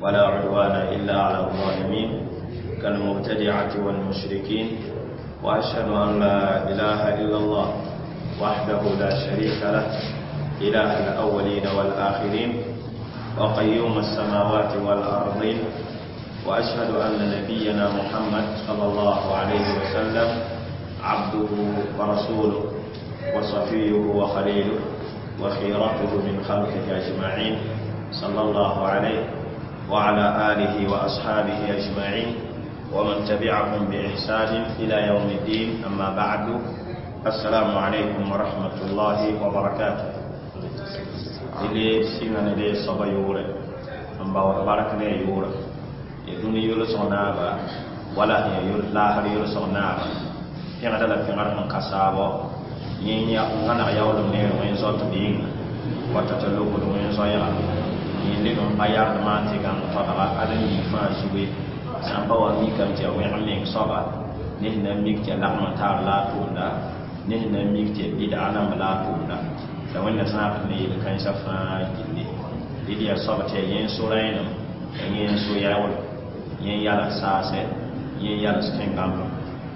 ولا عدوان إلا على الظالمين كالمبتدعة والمشركين. وأشهد أن لا إله إلا الله وحده لا شريك له، إله الأولين والآخرين وقيوم السماوات والأرضين. وأشهد أن نبينا محمد صلى الله عليه وسلم عبده ورسوله وصفيه وخليله وخيرته من خلقه أجمعين، صلى الله عليه وعلى آله وأصحابه أجمعين ومن تبعهم بإحسان إلى يوم الدين. أما بعد، السلام عليكم ورحمة الله وبركاته. إلي سيمان دي صبا يوري أم باور بارك ني يوري يدوني يولو سونابا ولا هي يول لاهر يولو سونابا فيغدا لا فيغار من كاسابو ينيا غانا ياولم ني وين زوت بين وتتلوكو وين زويا yẽnde n pa yardmã tɩ gãng todga ad-n yii fãa zuge sã n pa wa mikame tɩ ya wẽg meng soaba ne sẽn na n mik tɩ ya lagm n taar la a tʋʋmda ne sẽn na n mik tɩ ya bɩdga namba la a tʋʋmda la Wẽnda zãabd ne yel-kãensã fãa gilli dɩd yaa soab tɩ ya yẽ so-rẽenem ya yẽ so-yaoolem yẽ yals saasɛ yẽ yals tẽn-gãmbem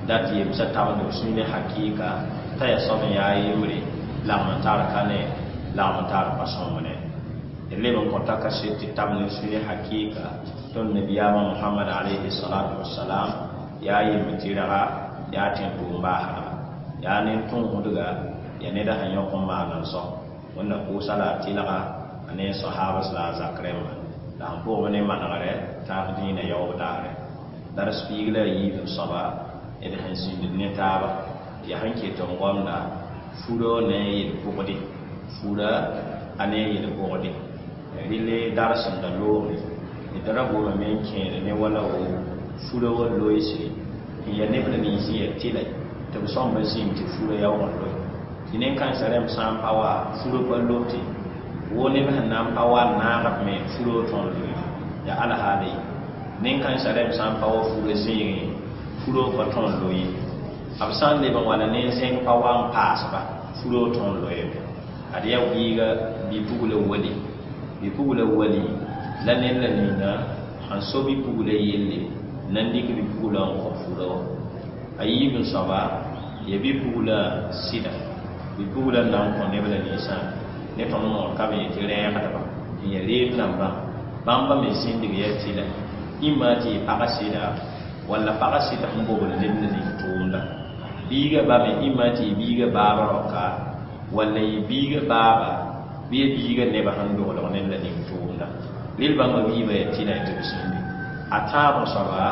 dat yemsã tabend b sũy ne hakɩɩka t'a yaa soab n yaa yembre lagm n tar ka ne lagm n tar pa sõmb ne leb n kõta kaset tɩ tab ne sũy ne hakɩɩka tõnd nabiyaamã Mohamad alayhi salatu wasalam yaa yemb tɩrga yaa tẽn-tʋʋm baasdga yaa nen-tõosdga yaa neda sẽn yõk n maan n sao Wẽnna pʋʋsa la a tɩlga a ne sahabas la a zak rẽmba la sẽn pʋgb ne manegrɛ tãag dĩinã yaoob daare dars piig la a yiib soaba d sẽn zĩnd ne taaba tɩ yaa sẽn ket n gomda furo ne yel-pʋgde fura a ne yel-pʋgde rɩle darsẽmda loogre d ra gomame n kẽed ne wala wo fura wa loeesre n yaa neb la nins n yaa tɩla tɩ b sõmb zĩm tɩ fura yaoog n loe tɩ nen-kãensã rẽmb sã n pa wa furo pa lote wo neb sẽn na n pa wa n naagb me furo tõr loe yaa alhaala ye nen-kãensã rẽmb sã n pa wa furo zẽegẽ furo pa tõr loe b sã n leb n wala nen-zẽng pa wa n paasba furo tõr loeeme ad yaa biiga bi-pugla wali bi-pugla wali la ned la ninga sẽn so bi-pugla yelle na n dɩk bi-pugla n kõ fura wã a yiib n soaba ya bi-pugla sɩda bi-pugla n na n kõ neb la ninsã ne tõnd moor ka be yetɩ rɛɛgdba n ya reeb nambã bãmba me zĩndg yaa tɩla ĩmma tɩ yɩ pagã sɩda walla pagã sɩd sẽn bobl neb la ning tʋʋmda biigã ba me ĩmma tɩ yɩ biigã baab raoka walla yɩ biigã baaba bɩ ya biigã nebã sẽn doglg ned la ning tʋʋmda rel bãmba biibã yaa tɩla tɩ b zĩndi a tãab soaba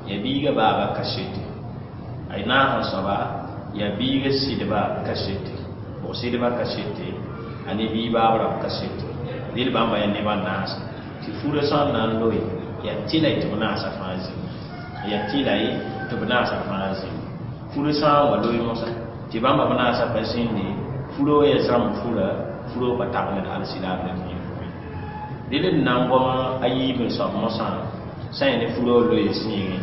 yaa biigã baaba kasete a naas soaba yaa biigã sɩdba kasete bʋg sɩdba kasete a ne bii baab rao kasete rel bãmba yaa nebã naasa tɩ furã sã n na n loe yaa tɩla tɩ b naasa fãa zĩnd yaa tɩla tɩ b naasa fãa zĩnd furã sã n wa loe mosã tɩ bãmba b naasa pa zĩndi furo ya zãmb fura furo pa tab ned alsilaam la dĩin pʋgẽ dẽd d na n goma a yiib n soab mosã sã n ya ne furo loe zĩigẽ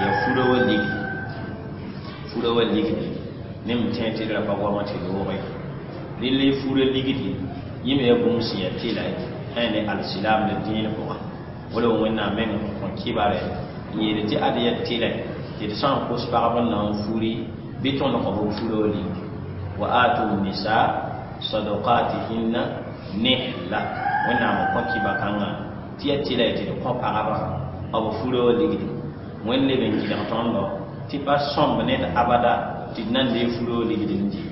yaa furo wa ligdi furo wa ligdi ne m tẽ tɩ d ra pa goama tɩ looge rɩl fura ligdi yẽ me yaa bũmb sẽn yaa tɩla sã n ya ne alsilaam la dĩin pʋga wala Wẽnnaam meng n kõ kɩbarɛ n yeel tɩ ad yaa tɩla tɩ d sã n kos pagb n na n furi bɩ tõnd kõ b furo ligdi wa atu nisa sadaqatihinna nihla Wẽnnaam n kõ kɩba kãngã tɩ yaa tɩla tɩ d kõ pagba b furo ligdi Wẽnd leb n gɩlg tõndo tɩ pa sõmb ned abada tɩ d na n dee furo ligd n dɩ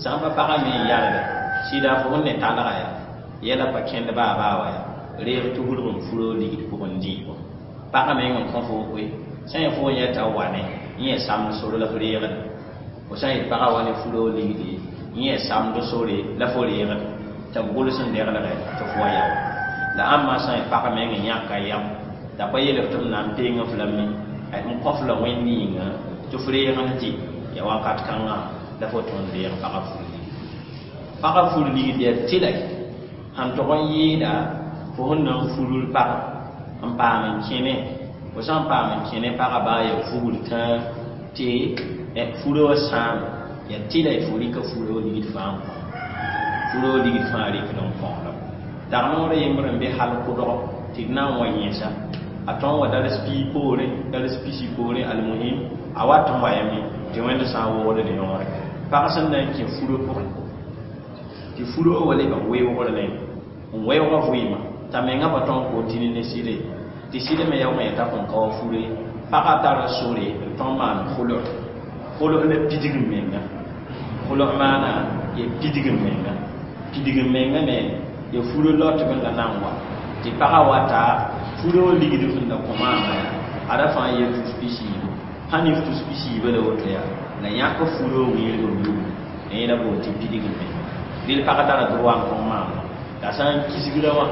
sã n pa pagã me n yalga sɩda fo sẽn ne talga ya yɛla pa kẽnd baa baa wa ya reeg tugr n furo ligd pʋgẽ n dɩɩbo pagã meng n kõ fo koe sã n ya fo n yɛta wane n yɛ samd sore la f reegda fo sã n yet pagã wa ne furo ligdi n yɛ samd sore la fo reegda tɩ b gʋls n deglgɛ tɩ fo wa yao la ãmba sã n yet pagã meng n yãka yam t'a pa yeel f tɩ m na n peng f lame n kõ f la Wẽnd yĩnga tɩ f reeg n dɩ ya wakat kãngã la fo tõnd reeg pagã fur ligdi pagã fur ligdi yaa tɩla sẽn tog n yɩɩda fo sẽn na n furl pagã n paam n kẽne fo sã n paam n kẽne pagã baa yaa fugr tãa tɩ furã wã sãame yaa tɩla fo rɩka furã ligd fãa n kõ furã ligd fãa rɩkd n kõola dag noorã yembr n be hal kʋdg tɩ d na n wa yẽsa A tõnd wa dals pii poorẽ, dals pisi poorẽ, almuhim a wat n wayame tɩ Wẽnd sã n woogd d yõore. Pag sẽn na n kẽ furo pʋgẽ tɩ furo wa lebg weoogr ne n weoogã vɩɩmã t'a menga pa tõnd kontine ne sɩde tɩ sɩd me yaoog yẽ t'a kõn ka wa fure. Pagã tara sore n tõnd maan khulg. Khulg la pidig n menga. Khulg maana ya pidig n menga. Pidig n menga me ya furo lot b la na n wa tɩ pagã wata furo ligd sẽn da kõ maama yaa ada fãa ye tus pisiibu. Sãn ne tus pisiibã la woto yaa la yãk furo wẽerg n yugl yẽ la boon tɩ pidig n menga. Rel pagã tara droit n tõng maama t'a sã n kisgra wã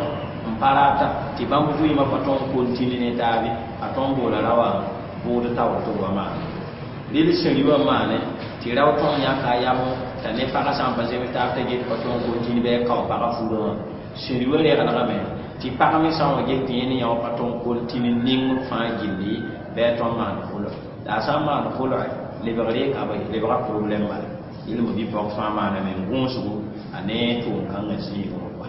n pa rata tɩ bãmb vɩɩmã pa tõnd kontine ne taabe a tõnd boola ra wã bʋʋd taoor tɩ b wa maane. Rel sẽri wã maane tɩ rao tõnd yãka a yam t'a ne pagã sã n pa zems taab t'a get pa tõnd kontine bɩ a kao pagã furã wã. Sẽri wã reglgame tɩ pag me sã n wa get tɩ yẽ ne yã wã pa tõnd kontine ning fãa gilli bɩ a tõnd maan khulg. La a sã n maan khulg lebgre ka lebga problème bala. Yel mo bɩ pɔg fãa maaname n gũusgo a ne tʋʋm-kãngã zĩigẽ wã.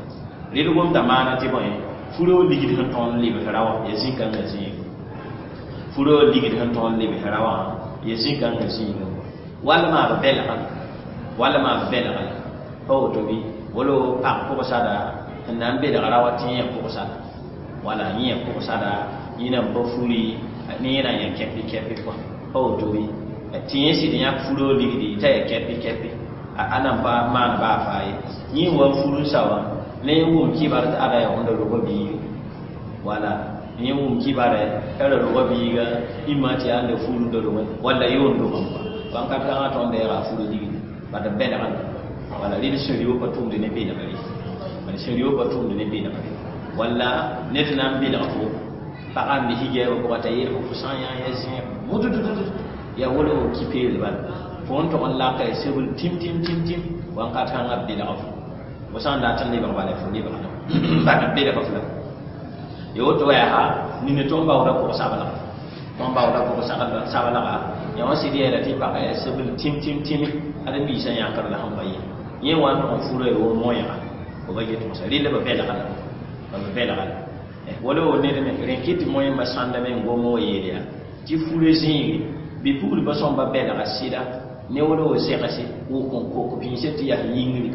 Rel gomda maana tɩ bõe furo ligd sẽn tõnd lebsra wã ya zĩ-kãngã zĩigẽ. Furo ligd sẽn tõnd lebsra wã ya zĩ-kãngã zĩigẽ wã. Wall maab bɛlga, wall maab bɛlga la pa woto bɩ wala pag pʋgsada sẽn na n belgra wa tɩ yẽ pʋgsada wala yẽ pʋgsada yẽ na n pa furi ne yẽ na n yã kɛpɩ kɛpɩ kɔa pa woto bɩ tɩ yẽ sɩd yãk furo ligdi t'a ya kɛpɩ kɛpɩ a na n pa maan baa faa ye. Yẽ wa n fur n sa wã ne wʋm kibar tɩ ada ya wẽnda roga biiga wala yẽ wʋm kibare t'a ra roga biiga ĩmã tɩ yaa n da fur n da rogẽ walla yoon dogem kɔa wãnkat kãngã tõnd deega a furo ligdi bad b bɛlga wala rɩd sẽn pa tʋmd ne belgre bad sẽn pa tʋmd ne belgre walla ned na n belg fo pagã n be higɛɛbã pʋgã t'a yeel fo sã n yã ya zẽeg mudududud ya wala fo ki-peel bala fo n tog n laka ya sebl tĩm tĩm tĩm tĩm wãnkat kãngã b belg fo fo sã n dat n lebg bala fo lebgda bad b belg f la ya woto wa yaa nina tõnd baooda pʋg-sablga tõnd baooda pʋg-sablga yã wã sɩd yeela tɩ pagã ya sebl tĩm tĩm tĩme ad biisã yãkr la sẽn pa ye yẽ wa n tog n fura ya wo moẽga fo ba get mosã rɩla ba bɛlga la ba bɛlga la wala wo ned me rẽ kɩ tɩ moẽmba sãndame n gom wa yeel yaa tɩ fura zĩige bɩ puglba sõmba bɛlga sɩda ne wala wo zɛgse wʋk n kok bĩisã tɩ yaa yĩngri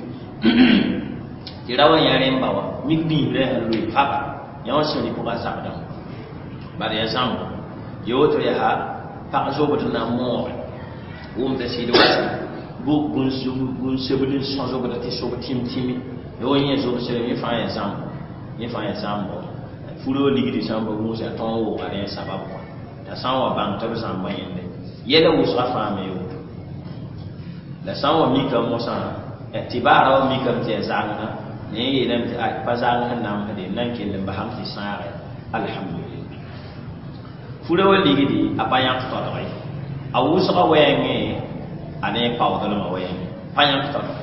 tɩ ra wa yã rẽmba wã mik bĩisrã sẽn loe faba yã wã sẽn pʋgã zabdã bad ya zãmbo ya woto yaa pag zobd na n moore wʋmda sɩd wa bũn-sebl n sõ zobda tɩ sob tĩm tĩme ya wa yẽ zobsre yẽ fãa ya zãmbo yẽ fãa ya zãmbo furo ligdi sã n pa gũusa tõnd wʋʋga rẽ sabab kɔa t'a sã n wa bãng tɩ b zãmba yẽnde yɛla wʋsga fãa me woto la sã n wa mikame mosã tɩ baara wa mikame tɩ ya zãnga ne yeelame tɩ pa zãng sẽn namsde n na n kell n basam tɩ sãage alhamdulillah. Fura wa ligdi a pa yãk todge a wʋsga wɛɛngẽ a ne paoodlmã wɛɛngẽ pa yãk todge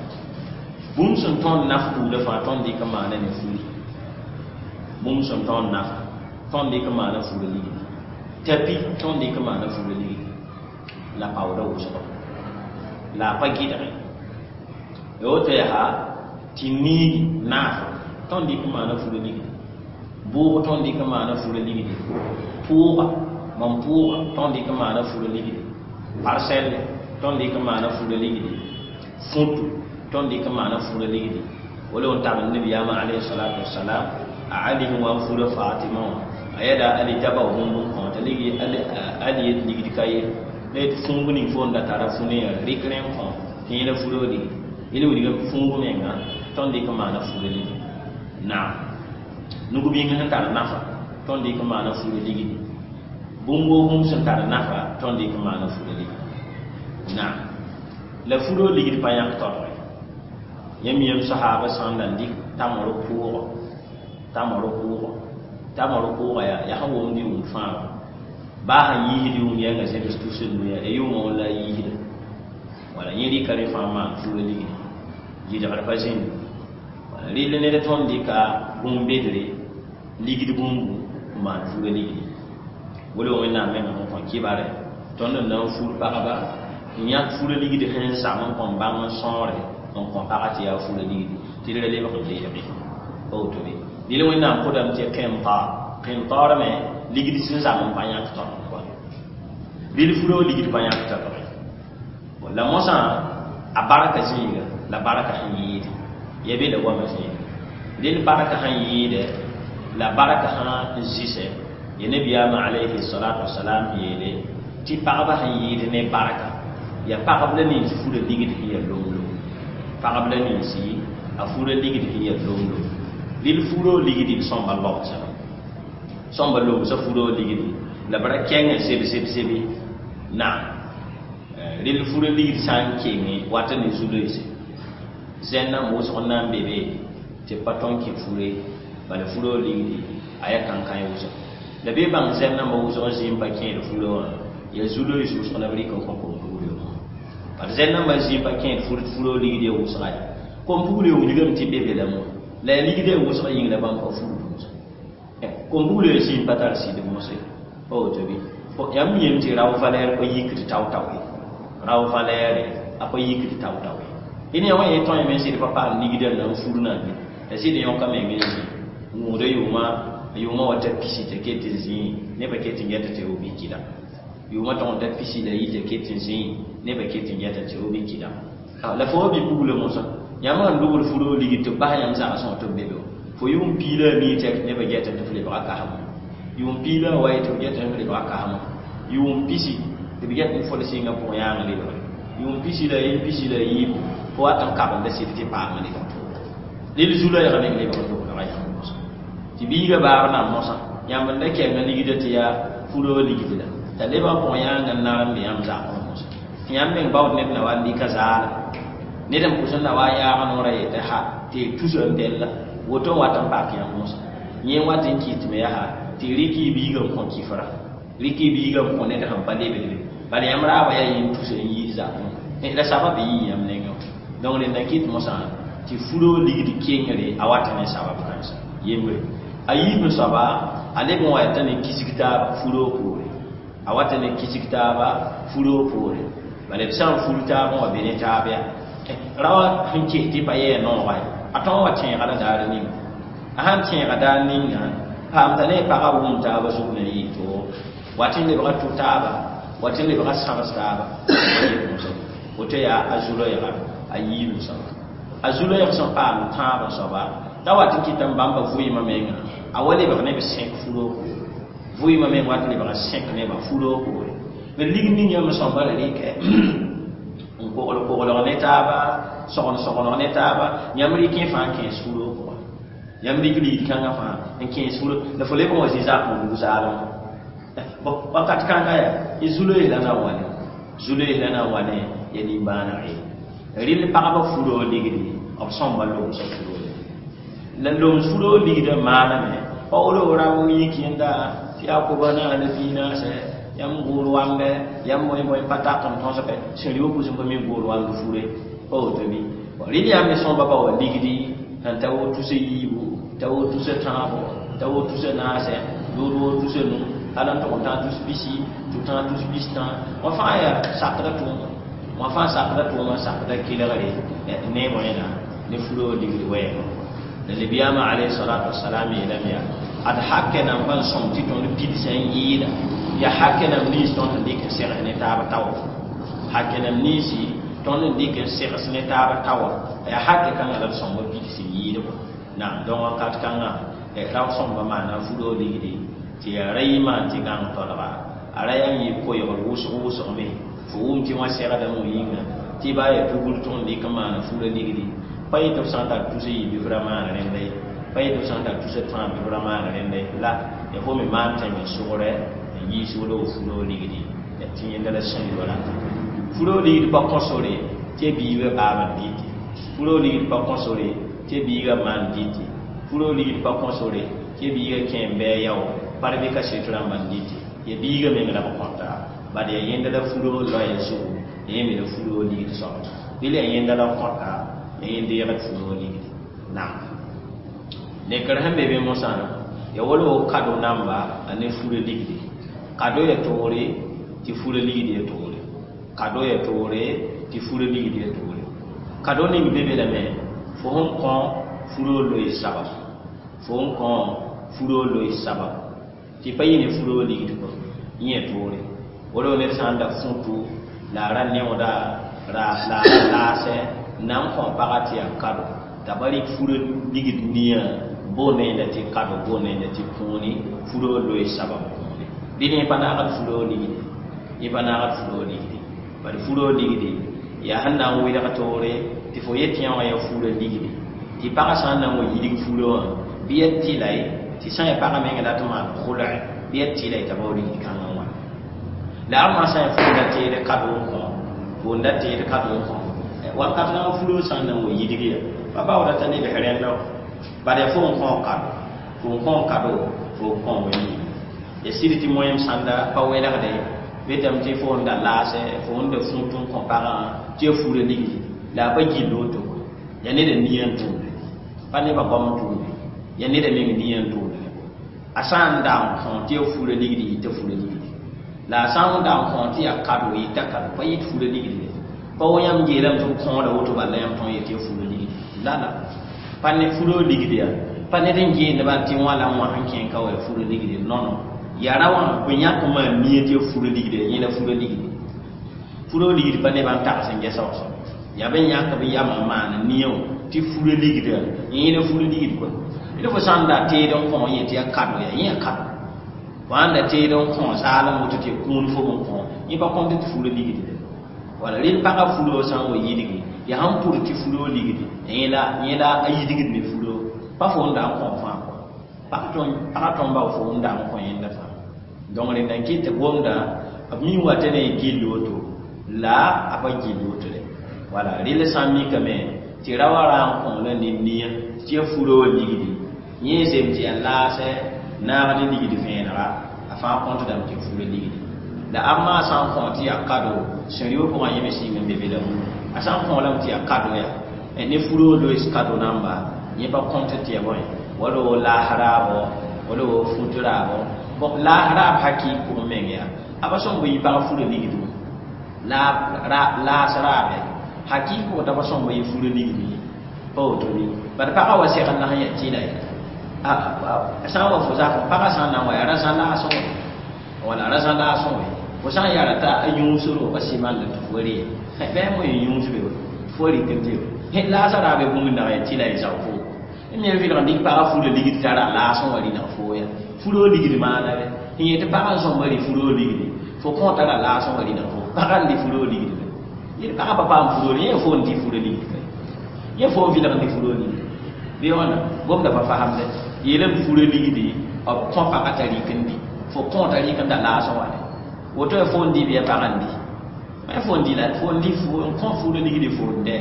bũmb sẽn tõnd naf buudã fãa tõnd dɩk n maana ne furi bũmb sẽn tõnd nafa tõnd dɩk n maana fura ligdi tapi tõnd dɩk n maana fura ligdi la paooda wʋsgo la a pa gɩdge ya woto yaa tɩ niigi naafo tõnd dɩk n maana fura ligdi bʋʋg tõnd dɩk n maana fura ligdi pʋʋga mam pʋʋga tõnd dɩk n maana fura ligdi parsɛlle tõnd dɩk n maana fura ligdi fũtu tõnd dɩk n maana fura ligdi wala n tabl nabiyaamã alayhi salatu wasalam a Ali sẽn wa n fura Fatima wã a yɛda Ali t'a bao bũmb n kõ t'a ligi Ali yet ligd ka ye la yet fũub ning fo n da tara fu ne rɩk rẽ n kõ tɩ yẽ la fura ligdi yel wilga fũub menga tõnd dɩk n maana fura ligdi naam nug-bĩng sẽn tar nafa tõnd dɩk n maana fura ligdi bũmb woo bũmb sẽn tar nafa tõnd dɩk n maana fura ligdi naam la furo ligd pa yãk todge yãmb yem sahaaba sãn da n dɩk tamr pʋʋgɔ tamr pʋʋgɔ tamr pʋʋgã yaa sẽn wʋmd yʋʋm fãa baa sẽn yiisd yʋʋm yɛnga zems tusd noya ya yʋʋmã wã la a yiisda wala yẽ rɩka rẽ fãa maan fura ligdi gɩdgr pa zĩnd wala rɩl ned tõnd dɩka bũmb-bedre ligd bũmbu n maan fura ligdi wala Wẽnnaam menga sẽn kõ kibare tõnd n na n fur pagba n yãk fura ligdi sẽn zam n kõn bãng n sõore n kõ pagã tɩ yaa fura ligdi tɩ d ra lebg n leege pa woto be dɩl Wẽnnaam kʋdame tɩ qẽntaar qẽntaar me Ligd sẽn zam n pa yãk tõd n rɩl furo ligd pa yãk tɩ la mosã a barka zĩiga la barka sẽn yɩɩde ya be la goamã zĩiga rɩl barka sẽn yɩɩdɛ la barka sã n zɩsɛ ya nabiyaamã alayhi salatu wasalam yeele tɩ pagba sẽn yɩɩd ne barka ya pagb la nins fura ligd sẽn ya lomlom pagb la ninsi a fura ligd sẽn ya lomlom rɩl furo ligd d sõmba lobsã sõmba lobsã furo ligdi la b ra kẽngã seb seb sebe naam rɩl fura ligd sã n kenge wata ne zu-loeese zẽnnã wʋsg n na n be be tɩ pa tõn kẽ fure bala furo ligdi a yaa kãn-kãe wʋsg la bee bãng zẽn nambã wʋsg zĩ n pa kẽed furo wã yaa zu-loees wʋsg la b rɩk n kõ kom-pugl wã bala zẽn nambã zĩ n pa kẽed furo ligd ya wʋsga ya kom-pugl wilgame tɩ be be la mo la yaa ligd ya wʋsg yĩng la bãmb pa fugd mosã kom-pugl ya zĩ n pa tar sɩd mosẽ pa woto bɩ yãmb yem tɩ rao valɛɛr pa yikd tao-tao ye rao valɛɛre a pa yikd tao-tao ye dẽn yã wã ye tõe me sɩd pa paam ligdã n na n fur na be la sɩd yõka meng n zĩ n wʋʋda yʋʋma yʋʋma wa ta pisi t'a ket n zĩ nebã ket n gɛta tɩ y bɩ kɩda yʋʋma tõg n ta pisi la yi t'a ket n zĩ nebã ket n gɛta tɩ y bɩ kɩda la fo wa bɩ pugla mosã yãmb sẽn dogd furo ligd tɩ b bas yãmb zãgsẽ tɩ b be be fo yʋʋm piila a mii tɛk nebã gɛta tɩ f lebga kasem yʋʋm piila a wa ye tɩ f gɛta f lebga kasem yʋʋm pisi tɩ b get n fol sɩngã pʋgẽ yãang lebgre yʋʋm pisi la yen pisi la yiibu fo wat n kabenda sɩd tɩ paam lebg rɩl zu-loɛɛgã meng lebg n dogdga yãmb mosã tɩ biigã baab nan mosã yãmb n da kɛngã ligda tɩ yaa furo ligd la t'a lebg pʋgẽ yãang n nar n be yãmb zakẽ mosã tɩ yãmb meng baood ned na wa n dɩka zaala ned n pʋs n na wa n yaag noorã yetɩ ha tɩ y tusa n bella woto n wat n pak yãmb mosã yẽ wat n kɩtme yaa tɩ rɩk y biigã n kõ kifra rɩk y biigã n kõ ned sẽn pa lebdbe bala yãmb raaba yaa yĩn tusa n yiis zakẽ la sabab yii yãmb nengẽ donc rẽnda kɩt mosã tɩ furo ligd kengre a wat ne sabab kãensa yembre a yiib n soaba a leb n wa t'a ne kisg taaba furo poore a wata ne kisg taaba furo poore bala b sã n fur taab n wa be ne taab yaa rawa sẽn kes tɩ pa yɛɛ noogã ye a tõog wa tẽega la daar ninga a sãn tẽega daar ninga paam t'a ne pagã wʋm taaba zug na yɩɩ to wat n lebga tʋ taaba wat n lebga sãbs taaba woto yaa a zu-loɛɛga a yiib n soaba a zu-loɛɛg sẽn paam tãab n soaba t'a wat n kɩta n bãmba vʋɩɩmã menga a wa lebg ne b sẽk furo poore vʋɩɩmã meng wat lebg sẽk nebã furo poore b lig ning yãmb sõmba la rɩkɛ n kogl koglg ne taaba sogn sogneg ne taaba yãmb rɩkẽ fãa n kẽes furo pʋgẽ yãmb rɩk ligd kãngã fãa n kẽes furo la fo leb n wa zĩ zak n wug zaalem wakat kãnga yaa y zu-loees la na n wa ne zu-loees la na n wa ne ya nimbãaneg ye rɩl pagba furo ligdi b sõmba lomsã furo la loms furo ligdã maaname pa wolo rao yik yẽnda tɩ yaa koba naana piinaasɛ yãmb goor wambe yãmb bõe bõe pa tak n tõsgɛ sẽn rɩ pʋsẽ pa mi goor wamb fure pa woto bɩ rɩl yãmb me sõmba pa wa ligdi sẽn ta wo tusa yiibu ta wo tusa tãabo ta wo tusa naasɛ lood wo tusa nu hal n tʋg n tãag tus pisi tɩ tãag tus pistã wã fãa yaa sakda tʋʋma wã fãa sakda tʋʋma sakda kelgre ne wẽna ne furo ligd wɛɛngã la nabiyaamã alayhi salatu wasalam yeelame yaa ad hakɛ nan pa n sõm tɩ tõnd pidsã n yɩɩda yaa hakɛ nam nins tõnd sẽn dɩk n segs ne taab tawa hakɛ nam ninsi tõnd n dɩk n segs ne taab tawa yaa hakɛ kãngã la d sõmba pids n yɩɩdbɔ naam donc wakat kãngã rao sõmba maana furo ligdi tɩ yaa ra yɩ maan tɩ gãng tolga a ra yaa n yɩ koɛɛgr wʋsg wʋsgme fo wʋm tɩ wã segdame wã yĩnga tɩ baa yaa tugr tõnd dɩk n maana fura ligdi pa yetɩ b sã n tar tusa yɩ bɩ f ra maana rẽnda ye pa yetɩ b sã n tar tusa tãab bɩ f ra maana rẽnda ye la ya fo me maan tẽng n sʋgrɛ n yiis wala f furo ligdi tɩ yẽnda la sẽn yo rata furo ligd pa kõ sore tɩ biigã baab n dɩte furo ligd pa kõ sore tɩ biigã maan dɩte furo ligd pa kõ sore tɩ biigã kẽ n bɩ a yao par bɩ kaset rãmba n dɩte ya biigã meng la b kõta bad yaa yẽnda la furo loɛɛ zugu ya yẽ me la furo ligd soaba bɩ la yẽnda la kõta ya yẽ deegd furo ligdi naam nekr sẽn be be mosã ya wala wo kado namba a ne furo ligdi kado ya toore tɩ furo ligd ya toore kado ya toore tɩ furo ligd ya toore kado ning be be lame fo sẽn kõ furo loe sabab fo sẽn kõ furo loe sabab Tɩ pa yɩ ne furo ligd kɔ yẽ toore wala ned sã n da fũtu la a ra neooda la a ra laasɛ na n kõ paga tɩ yaa kado t'a ba rɩk furo ligd nia boonda yẽnda tɩ kado boonda yẽnda tɩ kũuni furo loe sabab kũuni dɩ yẽ pa naagd furo ligde yẽ pa naagd furo ligde bad furo ligde yaa sẽn na n wɩlg toore tɩ fo yet yã wã yaa furo ligde tɩ pagã sã n na n wa yidg furo wã bɩ ya tɩla ye tɩ sã n ya pagã meng dat n maan khʋlɛ bɩ ya tɩla ye t'a bao ligd kãngã wã la a maa sã n ya fo n da teed kado n kõ fo n da teed kado n kõ wakat na furo sã n na n wa yidg ya pa baooda t'a lebs rẽndã bad yaa fo n kõ kado fo n kõ kado fo n kõ wẽnd ya sɩd tɩ moyem sãnda pa welgde betame tɩ fo n da laasɛ fo n da fũut n kõ pagã tɩ ya fura ligdi la a pa gill woto yaa neda nia n tʋʋmde pa nebã goam n tʋʋmde yaa neda meng nia n tʋʋmde a sã n da n kõ tɩ ya fura ligdi yɩta fura ligdi la a sã n da n kõ tɩ yaa kado yɩta kado pa yɩt fura ligdi pa wa yãmb geelame tɩ b kõoda woto bala yãmb tõe n yetɩ ya fura ligdi la la pa ne furo ligdi yaa pa ned n geendba tɩ wã la wã sẽn kẽ ka wa ya fura ligdi non yaa ra wã b yãk n maan nia tɩ ya fura ligdi yẽ la fura ligdi furo ligdi pa nebã n tags n gɛsa wa soab yaa b yãk b yamã n maan nia tɩ fura ligda yẽ la fura ligd koa d fo sã n da teed n kõ n yetɩ ya kado yaa yẽ ya kado fo sãn da teed n kõ zaalem woto tɩ ya kũun fo n kõ yẽ pa kõnt tɩ fura ligdi wala rel pagã furo sã n wa yidgi yaa sẽn pʋd tɩ furo ligdi yẽ la a yidgd me furo pa fo n da n kõ fãa kɔ pagã tõm bao fo n da n kõ yẽnda fãa donc rẽnda n kɩt tɩ gomda b mi wata ne gill woto la a pa gill woto de wala rel sã n mikame tɩ ra wa ra n kõ la ned nia tɩ ya furo wa ligdi yẽ zem tɩ yaa laasɛ naagd ligd vẽenega a fãa kõntdame tɩ furo ligdi la a maa sã n kõ tɩ yaa kado sẽn rɩ pʋgã yẽ me sɩng n be be la a sã n kõ lame tɩ yaa kado yaa ne furo loees kado namba yẽ pa kõnt tɩ ya bõe wala wo laas raabo wala wo fut raabo bon laas raab hakɩɩk pʋgẽ meng yaa a pa sõmb yɩ pag fura ligd laas raabe hakɩɩk pʋgẽ t'a pa sõmb yɩ fura ligd ye pa woto bɩ bad pagã wa segl na sẽn yaa tɩla ye sã n wa fo zakẽ pagã sã n na n wa yaa rã-zã laasẽ wã wala rã-zã laasẽ wã fo sã n yara t'a a yũusro pa sɩmanda tɩ fo re bɩ mo yẽ yũus be tɩ fo rɩk n tɩ laasã raabe bũmb nag yaa tɩla ye zao fo n me vɩlg n dɩk pagã fura ligd tara laasẽ wã rɩnag fo ya furo ligd maana re n yetɩ pagã n sõmba rɩ furo ligdi fo kõ tara laasẽ wã rɩnag fo pagã n dɩ furo ligd yet pagã pa paam furo yẽ fo n dɩ furo ligd ka yẽ fo n vɩlg n dɩ furo ligd bɩ wãna gomda pa fasamde yeelame furo ligdi b kõ pagã t'a rɩk n dɩ fo kõ t'a rɩk n da laasẽ wã de woto ya fo n dɩ bɩ ya pagã n dɩ ma fo n dɩ la fo n dɩ n kõ furo ligdi fo n dɛ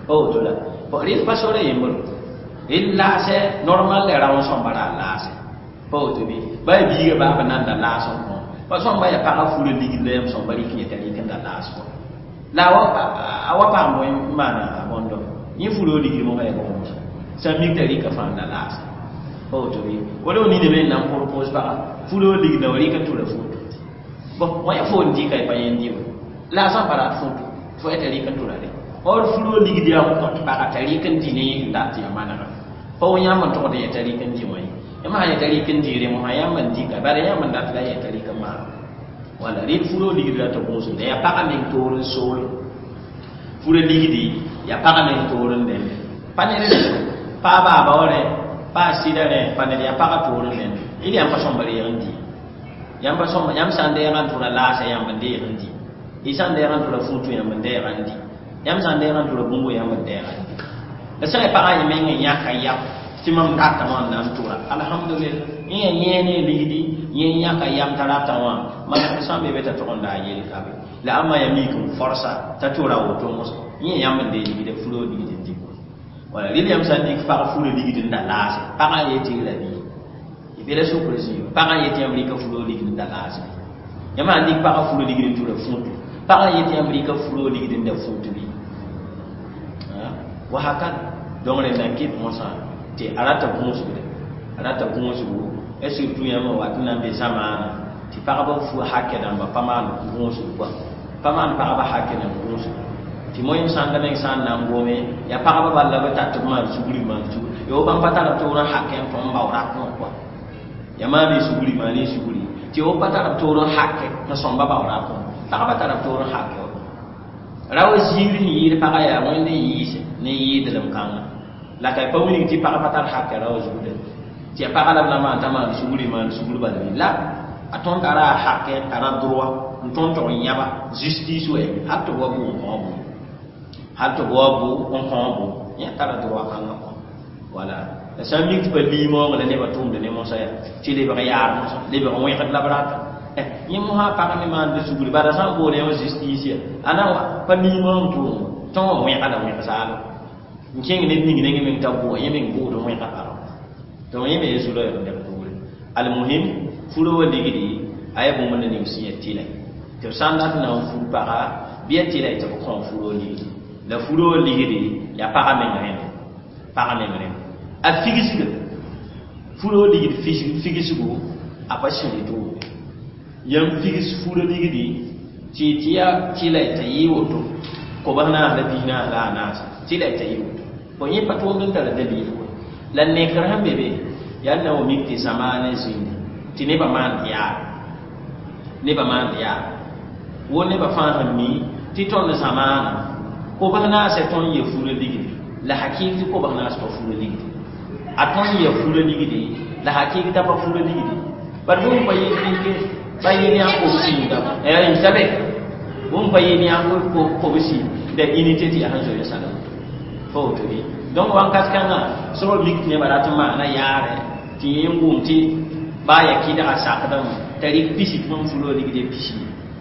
pa woto la rel pa sora yembr rel laasɛ normal la rao n sõmba ra laasɛ pa woto bɩ ba ya biiga baaba nan da laas n kõ pa sõmba ya pagã fura ligd la yãmb sõmba rɩk n yet'a rɩk n da laas kõ la a wa paam bõe n maana a bõndo yẽ furo ligd mosã ya bõe sã n mik t'a rɩka fãa n da laas pa woto bɩ wala w nina me n na n propose pagã furo ligd na wa rɩk n tʋra fuutu bon wã ya fo n dɩka y pa yẽnd dɩ la a sã n pa rat fuutu fo ya t'a rɩk n tʋra re or furo ligd yaa n kõt pagã t'a rɩk n dɩ ne yẽ sẽn dat tɩ yaa manega pa wo yãmb n togd yet'a rɩk n dɩ wã ye yãmb sã yet'a rɩk n dɩɩre mosã yãmb n dɩka bala yãmb n dat la yet'a rɩk n maan wala rɩd furo ligd la tɩ gũusum yaa pagã meng toor n sool furo ligdi yaa pagã meng toor n dẽnde pa ned pa a baaba wa rẽ pa a sɩda rẽ pa ned yaa pagã toor n dẽnde d yãmb pa sõmba reeg n dɩ yãmb pa sõmba yãmb sã n deeg n tʋra laasã yãmb n deeg n dɩ y sã n deeg n tʋra fuutu yãmb n deeg n dɩ yãmb sã n deeg n tʋra bũmb yãmb n deeg n dɩ la sã n pagã yẽ meng n yãka yam tɩ mam datame wã n na n tʋra alhamdulillah yẽ yaa yẽe ne ligdi yẽ yãka yam t'a rata wã maneg sã n be be t'a tʋg n daa yel ka be la ãmba yaa mik n forsa t'a tʋra woto mosã yẽ yãmb n dee ligda furo ligd n dɩ wala rel yãmb sã n dɩk pag furo ligd n da laase pagã yetɩ la bɩ y be la sokre zĩ pagã yetɩ yãmb rɩka furo ligd n da laase yãmb sã n dɩk pagã furo ligd n tʋra fũutu pagã yetɩ yãmb rɩka furo ligd n da fũutu bɩ wa hakada donc rẽnda n kɩt mosã tɩ a rata gũusgde a rata gũusgu e surtout yãmb n wat n na n be zamaana tɩ pagba fu hakɛ dãmba pa maan gũusg kɔa pa maan pagba hakɛ dãmb gũusg tɩ moyem sãnda meng sã n na n gome yaa pagba bal la b tar tɩ b maan sugri maan sugri yo bãmb pa tara toor n hakɛ n tõm n bao rakẽ wã kɔa Ya maane sugri, maane sugri tɩ f pa tar b toor n hake n sõmba baoora pʋgẽ. Pagba tara b toor n hake ra wa ziir sẽn yɩɩd pagã yaa Wẽnd n yɩɩse ne yɩɩdlem kãnga. La ka pa wilg tɩ pag pa tar hake ra wa zugda tɩ ya pagã la b na maan t'a maan sugri, maan sugr bala bɩ la a tõnd tara a hake, tara droit n tõnd tog n yãba justice wɛ hal tɩ b wa bʋ n kõ bʋ, hal tɩ b wa bʋ n kõ bʋ, yẽ tara droit kãngã kɔ. Wala la sã n mik tɩ pa liimoog la nebã tʋʋmd ne mosã yaa tɩ lebg yaar mosã, lebg wẽgd la b rata. Yẽ mosã pag me maand sugri bala sã n bool yã wã justice ya a na wa pa liimoog tʋʋm tõn wã wẽga la wẽg zaalem n kẽng ned ning nengẽ meng t'a bʋa yẽ meng bʋʋd wẽga pagã. Donc yẽ me ye zu-loɛɛg n dɛg poore. Almuhim, furo wa ligdi a yaa bũmb ning sẽn yaa tɩlɛ tɩ b sã n dat n na n fur paga bɩ ya tɩlɛ tɩ b kõ furo ligdi. La furo ligdi yaa paga meng rẽnd, paga meng rẽnd a figsga furo ligd figsgo a pa sẽri tʋʋmde yãmb figs furo ligdi tɩ tɩ yaa tɩlɛ t'a yɩ woto kobs naas la pis naas la a naas tɩlɛ t'a yɩ woto fo yẽ pa tʋʋmd n tara dalil. La nekr sẽn be be yaa na wa mik tɩ zamaanã zĩnda tɩ nebã maand yaar, nebã maand yaar wo nebã fãa sẽn mi tɩ tõnd zamaanã kobs naasã tõnd yɛ fura ligdi la hakɩɩk tɩ kobs naas pa fura ligdi, a tõnd yɛ fura ligdi la hakɩɩk t'a pa fura ligdi. Bari bũmb pa yel pa yel yã kobs yĩnga sabe bũmb pa yel yã kobs da unité tɩ yaa sẽn zoe sãnem fa woto bɩ. Donc wãnkat kãngã soab mik tɩ nebã rat n maana yaarɛ tɩ yẽ n wʋm tɩ baa ya kɩdga sakdame t'a rɩk pisi tɩ bãmb furo ligde pisi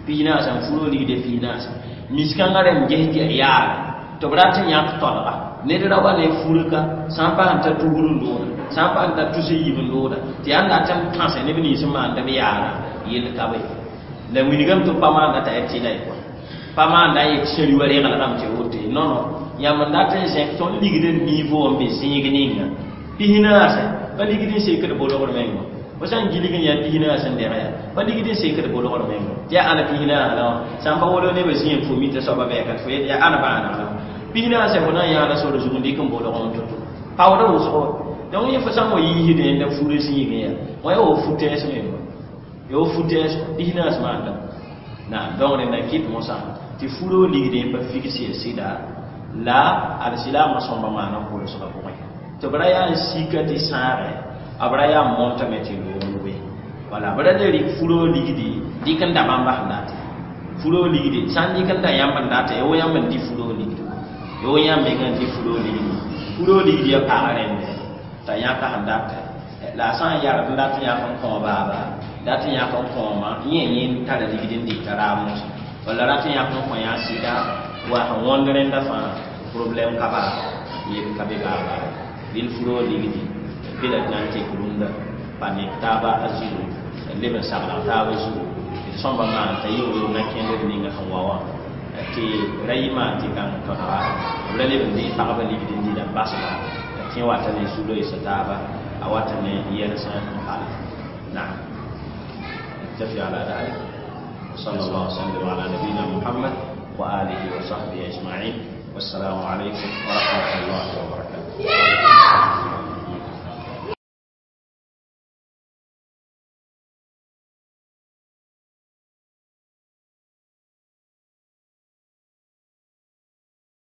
pis naasa n furo ligde pis naasa miskãngã rẽmb ges tɩ yaa yaarɛ tɩ b rat n yãk tolga ned ra wa ne furka sã n paas n ta tugr n looda, sã n paas n ta tus n yib n looda tɩ yaa n dat n tãse neb nins n maanda b yaara yell ka be. La wilgame tɩ b pa maanda t'a yaa tɩla ye kɔa pa maanda n yet sẽri wa reglgame tɩ woto ye non non yãmb n dat n zẽk tõnd ligd n niveau n be zĩig ninga pis naasẽ pa ligd n sekd bolgr menga fo sã n gilg n yaa pis naas n deg yaa pa ligd n sekd bolgr menga tɩ yaa ãna pis naas la wã sã n pa wolo nebã zĩ n fo mita soaba bɛɛka tɩ fo yet yaa ãna bãaneg la wã pis naasẽ fo na n yãala sore zug n dɩk n bolg n to-to paoodã wʋsgo. Donc yẽ fo sã n wa yiisdẽ la furã zĩigẽ yaa wã yaa wa fu-tɛɛs menga yaa wa fu-tɛɛs pis naas maanda naam. Donc rẽnda n kɩt mosã tɩ furo ligdẽ pa figs ya sɩda la alsilaamã sõmba maana kolsgã pʋgẽ tɩ b ra yaa n sika tɩ sãagɛ a b ra yaa n montame tɩ loog we. Wala b ra le rɩk furo ligdi dɩk n da bãmba sẽn date furo ligdi sã n dɩk n da yãmb n date yaa wo yãmb n dɩ furo ligdi yaa wo yãmb mengã n dɩ furo ligdi. Furo ligdi ya pag rẽnde t'a yãka sẽn date la a sã n yard n dat n yãk n kõ baaba dat n yãk n kõoma yẽ yẽ tara ligd n dɩta raab mosã walla rat n yãk n kõ yã sɩda wa sẽn wõnd rẽnda fãa problème ka baa yel ka be baa baa dɩl furo ligdi bɩ la d na n tek rũndã pa nek taaba a zugu leb n sagl taaba zugu tɩ sõmba maan t'a yɩ woo na kẽndr ninga sẽn wa wã tɩ ra yɩ maan tɩ kãng tõdga b ra leb n dɩ pagba ligd n dɩla n basba tɩ wata ne zu-loeesa taaba a wata ne yɛls n pal. Naam, نكتفي على ذلك وصلى الله وسلم على نبينا محمد وآله وصحبه أجمعين والسلام عليكم ورحمة الله وبركاته.